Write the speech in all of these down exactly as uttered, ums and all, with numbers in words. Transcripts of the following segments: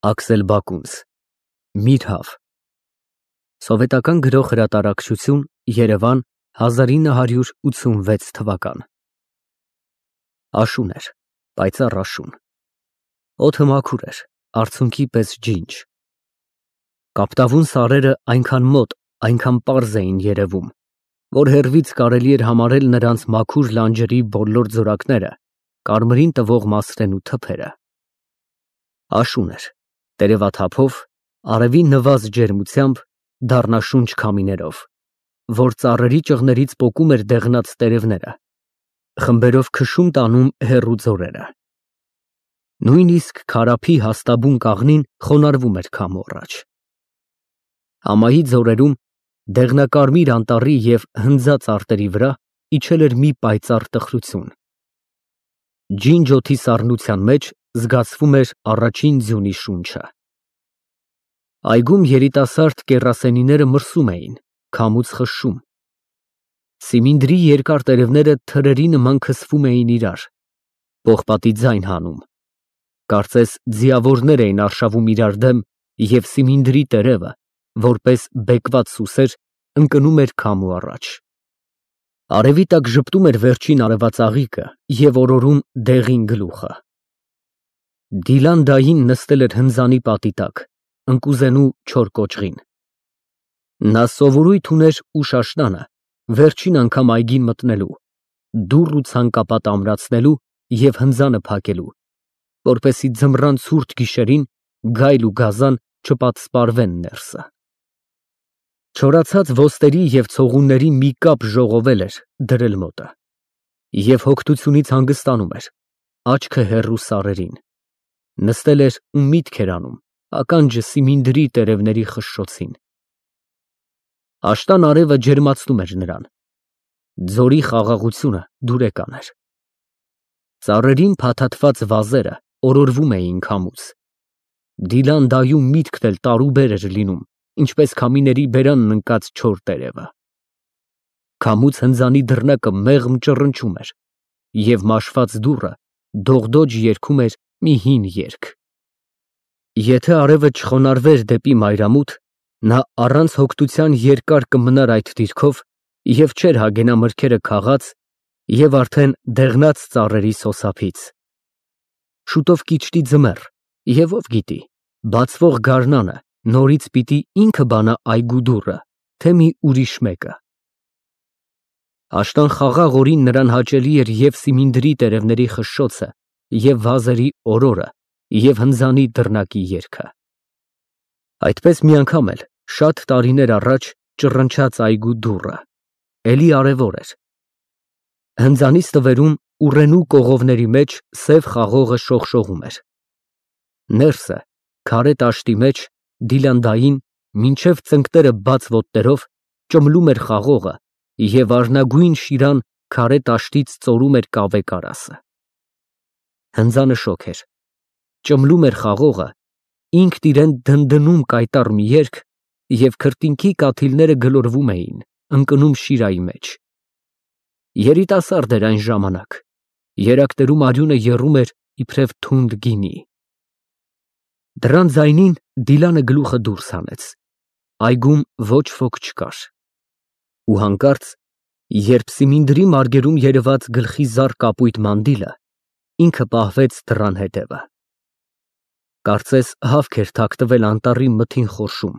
Աքսել Բակունց, Միրհավ Սովետական գրող հրատարակչություն, Երևան, հազար ինը հարյուր ութսունվեց թվական Աշուն էր, պայծառ աշուն, օդը մաքուր էր, արցունքի պես ջինջ, կապտավուն սարերը այնքան մոտ, այնքան պարզ էին երևում, որ հեռվից կարելի էր համարել նրանց մաքուր լանջերի բոլոր զորակները, կարմրին տվող մասրեն ու թփերը, աշուն էր, տերևաթափով, արևի նվազ ջերմությամբ, դառնաշունչ քամիներով, որ ծառերի ճղներից պոկում էր դեղնած տերևները, խմբերով քշում տանում հեռու ձորերը, նույնիսկ Քարափի հաստաբուն կաղնին խոնարհվում էր քամու առաջ, ամայի ձորերում, դեղնակարմիր անտառի և հնձած արտերի վրա իջել էր մի պայծառ տխրություն, ջինջ օդի սառնության մեջ զգացվում էր առաջին ձյունի շունչը, այգում երիտասարդ կեռասենիները մրսում էին, քամուց խշշում, սիմինդրի երկար տերևները թրերի նման քսվում էին իրար, պողպատի ձայն հանում, կարծես ձիավորներ էին արշավում իրար դեմ և սիմինդրի տերևը, որպես բեկված սուսեր, ընկնում էր քամու առաջ, արևի տակ ժպտում էր վերջին արևածաղիկը և օրորում դեղին գլուխը, Դիլան֊դային նստել էր հնձանի պատի տակ, ընկուզենու չոր կոճղին, նա սովորույթ ուներ ուշ աշնանը, վերջին անգամ այգին մտնելու, դուռ ու ցանկապատ ամրացնելու և հնձանը փակելու, որպեսզի ձմռան ցուրտ գիշերին գայլ ու գազան չպատսպարվեն ներսը, չորացած ոստերի և ցողունների մի կապ ժողովել էր դրել մոտը, և հոգնությունից հանգստանում էր, աչքը հեռու սարերին, նստել էր ու միտք էր անում, ականջը սիմինդրի տերևների խշշոցին, աշնան արևը ջերմացնում էր նրան, ձորի խաղաղությունը դուրեկան էր, ծառերին փաթաթված վազերը օրորվում էին քամուց, Դիլան֊դայում միտքն էլ տարուբեր էր լինում, ինչպես քամիների բերանն ընկած չոր տերևը, քամուց հնձանի դռնակը մեղմ ճռնչում էր, և մաշված դուռը դողդոջ երգում էր մի հին երգ, եթե արևը չխոնարհվեր դեպի մայրամուտ, նա առանց հոգնության երկար կմնար այդ դիրքով և չէր հագենա մրգերը քաղած և արդեն դեղնած ծառերի սոսափից, շուտով կիջնի ձմեռ և ով գիտի, բացվող գարնանը նորից պիտի ինքը բանա այգու դուռը, թե մի ուրիշ մեկը, աշնան խաղաղ օրին նրան հաճելի էր և սիմինդրի տերևների խշշոցը, և վազերի օրորը, և հնձանի դռնակի երգը, այդպես մի անգամ էլ, շատ տարիներ առաջ, ճռնչաց այգու դուռը, էլի արևոտ էր, հնձանի ստվերում ուռենու կողովների մեջ սև խաղողը շողշողում էր, ներսը, քարե տաշտի մեջ, Դիլան֊դային, մինչև ծնկները բաց ոտներով, ճմլում էր խաղողը և արնագույն շիրան քարե տաշտից ծորում էր կավե կարասը, հնձանը շոգ էր, ճմլում էր խաղողը, ինքն իրան դնդնում կայտառ մի երգ և քրտինքի կաթիլները գլորվում էին, ընկնում շիրայի մեջ, երիտասարդ էր այն ժամանակ, երակներում արյունը եռում էր իբրև թունդ գինի, դռան ձայնին Դիլանը գլուխը դուրս հանեց, այգում ոչ ոք չկար, ու հանկարծ, երբ սիմինդրի մարգերում երևաց գլխի զառ կապույտ մանդիլը, ինքը պահվեց դռան հետևը, կարծես հավք էր թաքնվել անտառի մթին խորշում,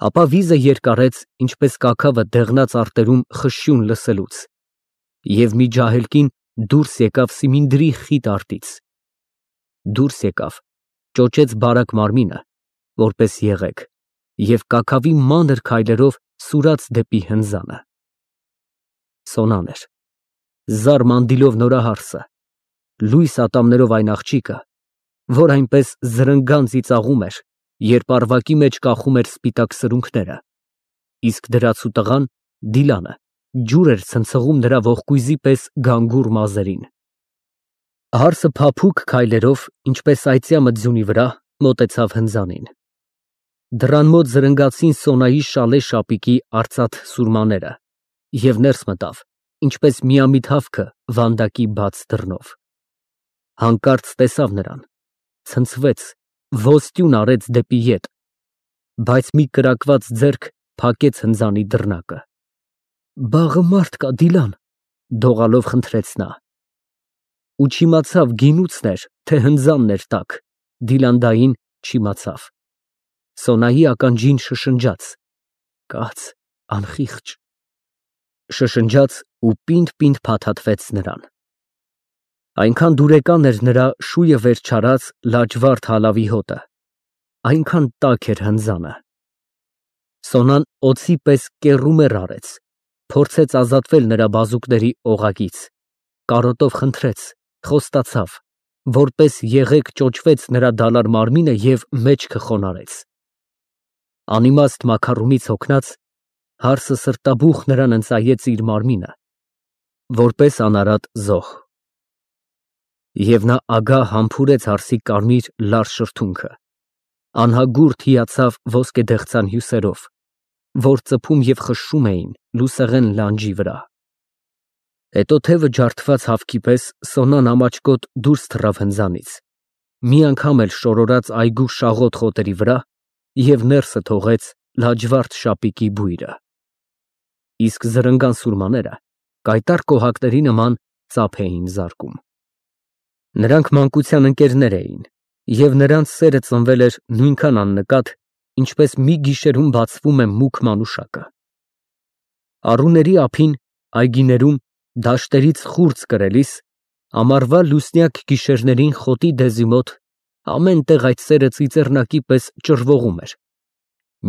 ապա վիզը երկարեց, ինչպես կաքավը դեղնած արտերում խշշյուն լսելուց, և մի ջահելկին դուրս եկավ սիմինդրի խիտ արտից, դուրս եկավ, ճոճեց բարակ մարմինը, որպես եղեգ, և կաքավի մանր քայլերով սուրաց դեպի հնձանը, սոնան էր, զառ մանդիլով նորահարսը, լույս ատամներով այն աղջիկը, որ այնպես զրնգան ծիծաղում էր, երբ առվակի մեջ կախում էր սպիտակ սրունքները, իսկ դրացու տղան, Դիլանը, ջուր էր ցնցղում նրա ողկույզի պես գանգուր մազերին, հարսը փափուկ քայլերով, ինչպես այծյամը ձյունի վրա, մոտեցավ հնձանին, դռան մոտ զրնգացին Սոնայի շալե շապիկի արծաթ սուրմաները և ներս մտավ, ինչպես միամիտ հավքը վանդակի բաց դռնով, հանկարծ տեսավ նրան, ցնցվեց ոստյուն արեց դեպի ետ, բայց մի կրակված ձեռք փակեց հնձանի դռնակը։ «Բաղը մարդ կա, Դիլան», դողալով խնդրեց նա։ Ու չիմացավ գինուծն էր, թե հնձանն էր տաք, Դիլանդային չիմացավ։ Սոնայի ականջին շշնջաց. «Կաց, անխիղճ», շշնջաց ու պինդ֊պինդ փաթաթվեց նրան։ Այնքան դուրեկան էր նրա շույը վեր չարած լաջվարդ հալավի հոտը, այնքան տաք էր հնձանը։ Սոնան օձի պես կեռումեռ արեց, փորձեց ազատվել նրա բազուկների օղակից, կարոտով խնդրեց, խոստացավ, որպես եղեգ ճոճվեց նրա դալար մարմինը և մեջքը խոնարհեց։ Անիմաստ մաքարումից հոգնած, հարսը սրտաբուխ նրան ընծայեց իր մարմինը, որպես անարատ զոհ։ Եվ նա ագահ համբուրեց հարսի կարմիր լար շրթունքը, անհագուրդ հիացավ ոսկեդեղցան հյուսերով, որ ծփում և խշշում էին լուսեղեն լանջի վրա։ Հետո թևը ջարդված հավքի պես Սոնան ամաչկոտ դուրս թռավ հնձանից, մի անգամ էլ շորորաց այգու շաղոտ խոտերի վրա և ներսը թողեց լաջվարդ շապիկի բույրը։ Իսկ զրնգան սուրմաները կայտառ կոհակների նման ծափ էին զարկում։ Նրանք մանկության ընկերներ էին, և նրանց սերը ծնվել էր նույնքան աննկատ, ինչպես մի գիշերում բացվում է մուգ մանուշակը։ Առուների ափին, այգիներում, դաշտերից խուրձ կրելիս, ամառվա լուսնյակ գիշերներին խոտի դեզի մոտ ամեն տեղ այդ սերը ծիծեռնակի պես ճռվողում էր,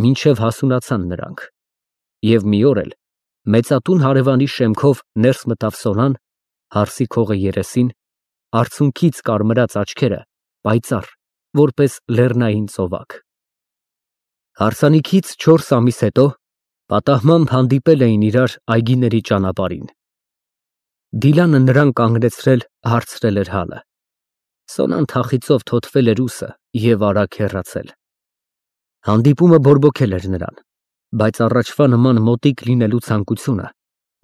մինչև հասունացան նրանք, և մի օր էլ մեծատուն հարևանի շեմքով ներս մտավ Սոնան, հարսի քողը երեսին, արցունքից կարմրած աչքերը պայծառ, որպես լեռնային ծովակ։ Հարսանիքից չորս ամիս հետո պատահմամբ հանդիպել էին իրար այգիների ճանապարհին։ Դիլանը նրան կանգնեցրել հարցրել էր հալը։ Սոնան թախիծով թոթվել էր ուսը և արագ հեռացել։ Հանդիպումը բորբոքել էր նրան, բայց առաջվա նման մոտիկ լինելու ցանկությունը,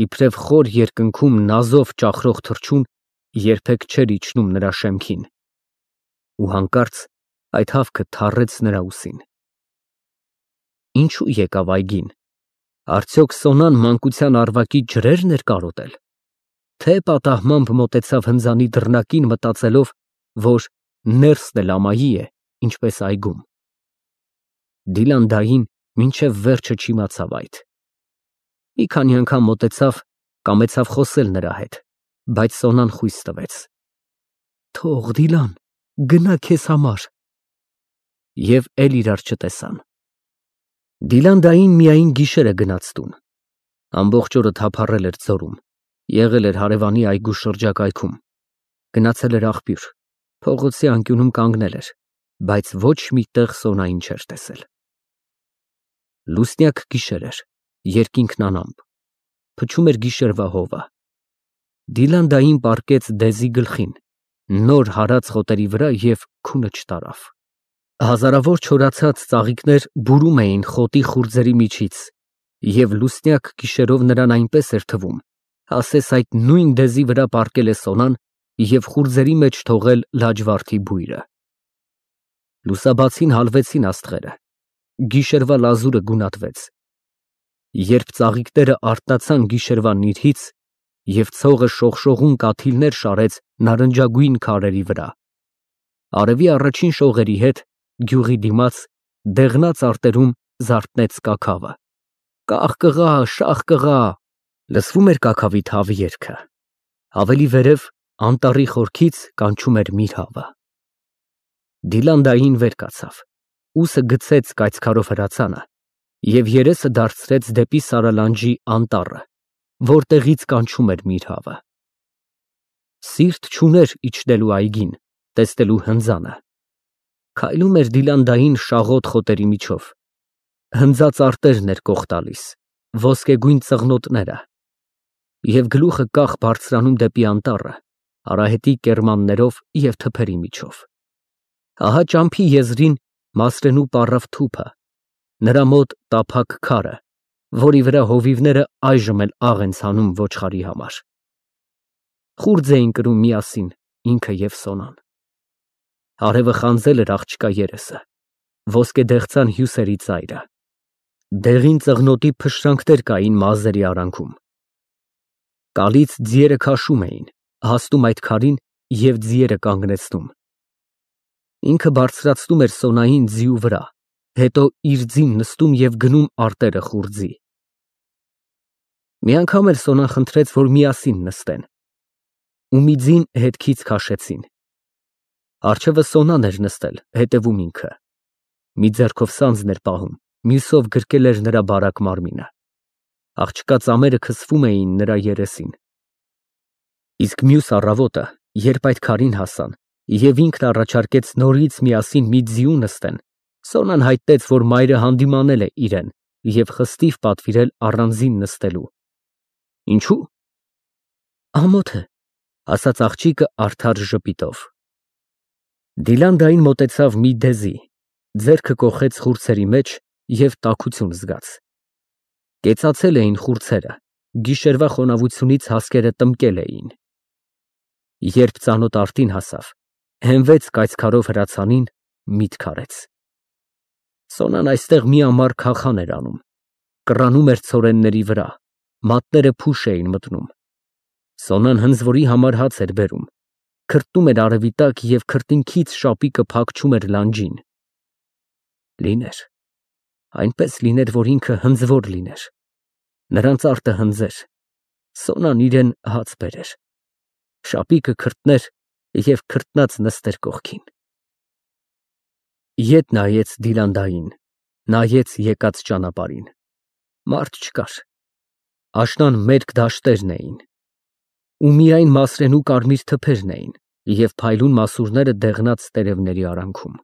իբրև խոր երկնքում նազով ճախրող թռչուն, երբեք չէր իջնում նրա շեմքին։ Ու հանկարծ այդ հավքը թառեց նրա ուսին։ Ինչո՞ւ եկավ այգին։ Արդյոք Սոնան մանկության առվակի ջրե՞րն էր կարոտել, թե պատահմամբ մոտեցավ հնձանի դռնակին մտածելով, որ ներսն էլ ամայի է, ինչպես այգում։ Դիլանդային մինչև վերջը չիմացավ այդ։ Մի քանի անգամ մոտեցավ, կամեցավ խոսել նրա հետ, բայց Սոնան խույս տվեց։ Թող, Դիլան, գնա քեզ համար։ Եվ էլ իրար չտեսան։ Դիլանդային միայն գիշերը գնաց տուն։ Ամբողջ օրը թափառել էր ձորում, եղել էր հարևանի այգու շրջակայքում, գնացել էր աղբյուր, փողոցի անկյունում կանգնել էր, բայց ոչ մի տեղ Սոնային չէր տեսել։ Լուսնյակ գիշեր էր, երկինքն անամպ, փչում էր գիշերվա հովը։ Դիլանդային պառկեց դեզի գլխին, նոր հարած խոտերի վրա և քունը չտարավ։ Հազարավոր չորացած ծաղիկներ բուրում էին խոտի խուրձերի միջից, և լուսնյակ գիշերով նրան այնպես էր թվում, ասես այդ նույն դեզի վրա պառկել է Սոնան և խուրձերի մեջ թողել լաջվարդի բույրը։ Լուսաբացին հալվեցին աստղերը, գիշերվա լազուրը գունատվեց։ Երբ ծաղիկները արթնացան գիշերվա նիրհից և ցողը շողշողուն կաթիլներ շարեց նարնջագույն քարերի վրա, արևի առաջին շողերի հետ գյուղի դիմաց դեղնած արտերում զարթնեց կաքավը։ Կախ կղա, շաղ կղա, լսվում էր կաքավի թավ երգը։ Ավելի վերև անտառի խորքից կանչում էր միրհավը։ Դիլանդային վեր կացավ, ուսը գցեց կայծքարով հրացանը և երեսը դարձրեց դեպի Սարալանջի անտառը, որտեղից կանչում էր միրհավը։ Սիրտ չուներ իջնելու այգին, տեսնելու հնձանը։ Քայլում էր Դիլանդային շաղոտ խոտերի միջով։ Հնձած արտերն էր կող տալիս, ոսկեգույն ծղնոտները, և գլուխը կախ բարձրանում դեպի անտառը, արահետի կեռմաններով և թփերի միջով։ Ահա ճամփի եզրին Մասրենու պառավ թուփը, նրա մոտ տափակ քարը, որի վրա հովիվները այժմ էլ աղ են ցանում ոչխարի համար։ Խուրձ էին կրում միասին ինքը և Սոնան։ Արևը խանձել էր աղջկա երեսը, ոսկե դեղցան հյուսերի ծայրը, դեղին ծղնոտի փշրանքներ կային մազերի արանքում։ Կալից ձիերը քաշում էին, հասնում այդ քարին և ձիերը կանգնեցնում։ Ինքը բարձրացնում էր Սոնային ձիու վրա, հետո իր ձին նստում և գնում արտերը խուრძի։ Մի անգամ էլ Սոնան խնդրեց, որ միասին նստեն, ու մի ձին հետքից քաշեցին։ Առջևը Սոնան էր նստել, հետևում ինքը, մի ձեռքով սանձն էր պահում, մյուսով գրկել էր նրա բարակ մարմինը։ Աղջկա ծամերը քսվում էին նրա երեսին։ Իսկ մյուս առավոտը, երբ այդ քարին հասան, և ինքն առաջարկեց նորից միասին մի ձիու նստեն, Սոնան հայտնեց, որ մայրը հանդիմանել է իրեն և խստիվ պատվիրել առանձին նստելու։ Ինչո՞ւ։ Ամոթ է, ասաց աղջիկը արդար ժպիտով։ Դիլանդային մոտեցավ մի դեզի, ձեռքը կոխեց խուրձերի մեջ և տաքություն զգաց։ Կեցացել էին խուրձերը, գիշերվա խոնավությունից հասկերը տմկել էին։ Երբ ծանոթ արտին հասավ, հենվեց կայծքարով հրացանին, միտք արեց։ Սոնան այստեղ մի ամառ քախան էր անում, կռանում էր ցորենների վրա, մատները փուշ էին մտնում։ Սոնան հնձվորի համար հաց էր բերում, քրտում էր արևի տակ և քրտինքից շապիկը փակչում էր լանջին։ Լիներ, այնպես լիներ, որ ինքը հնձվոր լիներ, նրանց արտը հնձեր, Սոնան իրան հաց բերեր, շապիկը քրտներ և քրտնած նստեր կողքին։ Ետ նայեց Դիլանդային, նայեց եկած ճանապարհին։ Մարդ չկար, աշնան մերկ դաշտերն էին, ու միայն մասրենու կարմիր թփերն էին և փայլուն մասուրները դեղնած տերևների արանքում։